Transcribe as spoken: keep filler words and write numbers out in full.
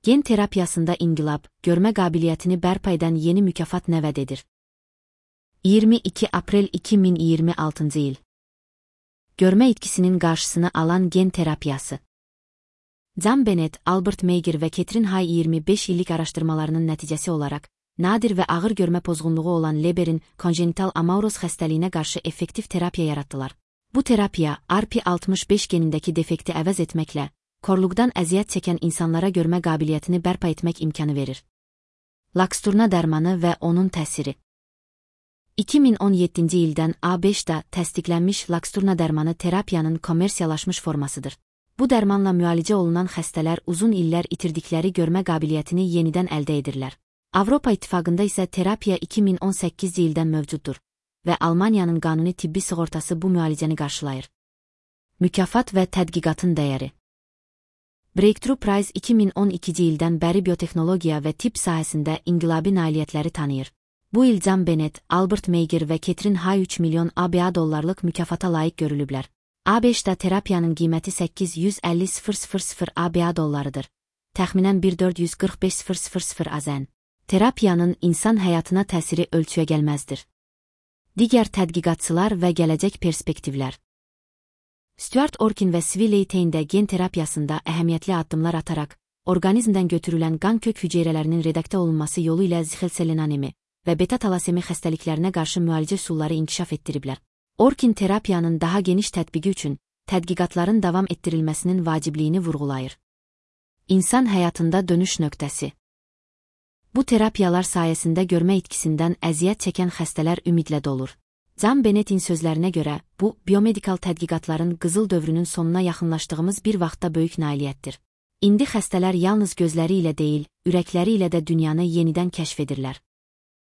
Gen terapiyasında inqilab, görmə qabiliyyətini bərpa edən yeni mükafat nə vəd edir? iyirmi iki aprel iki min iyirmi altıncı il. Görmə itkisinin qarşısını alan gen terapiyası. John Bennett, Albert Meiger və Catherine Hay iyirmi beş illik araşdırmalarının nəticəsi olaraq, nadir və ağır görmə pozğunluğu olan Leber'in konjenital amauroz xəstəliyinə qarşı effektiv terapiya yaratdılar. Bu terapiya, R P altmış beş genindəki defekti əvəz etməklə, korluqdan əziyyət çəkən insanlara görmə qabiliyyətini bərpa etmək imkanı verir. Laksturna dərmanı və onun təsiri. iki min on yeddinci ildən A beşdə təsdiqlənmiş Laksturna dərmanı terapiyanın kommersiyalaşmış formasıdır. Bu dərmanla müalicə olunan xəstələr uzun illər itirdikləri görmə qabiliyyətini yenidən əldə edirlər. Avropa İttifaqında isə terapiya iki min on səkkizinci ildən mövcuddur və Almaniyanın qanuni tibbi sığortası bu müalicəni qarşılayır. Mükafat və tədqiqatın dəyəri. Breakthrough Prize iki min on ikinci ildən bəri biotexnologiya və tibb sahəsində inqilabi nailiyyətləri tanıyır. Bu il John Bennett, Albert Meiger və Catherine Hay üç milyon ABŞ dollarlıq mükafata layiq görülüblər. A beşdə terapiyanın qiyməti səkkiz yüz əlli min ABŞ dollarıdır. Təxminən bir milyon dörd yüz qırx beş min AZN. Terapiyanın insan həyatına təsiri ölçüyəgəlməzdir. Digər tədqiqatçılar və gələcək perspektivlər. Stuart Orkin və Swiley Taine də gen terapiyasında əhəmiyyətli addımlar ataraq, orqanizmdən götürülən qan kök hüceyrələrinin redaktə olunması yolu ilə zixelselinanemi və beta-talasemi xəstəliklərinə qarşı müalicə üsulları inkişaf etdiriblər. Orkin terapiyanın daha geniş tətbiqi üçün tədqiqatların davam etdirilməsinin vacibliyini vurğulayır. İnsan həyatında dönüş nöqtəsi. Bu terapiyalar sayəsində görmə itkisindən əziyyət çəkən xəstələr ümidlə dolur. John Bennett'in sözlərinə görə, bu, biomedikal tədqiqatların qızıl dövrünün sonuna yaxınlaşdığımız bir vaxtda böyük nailiyyətdir. İndi xəstələr yalnız gözləri ilə deyil, ürəkləri ilə də dünyanı yenidən kəşf edirlər.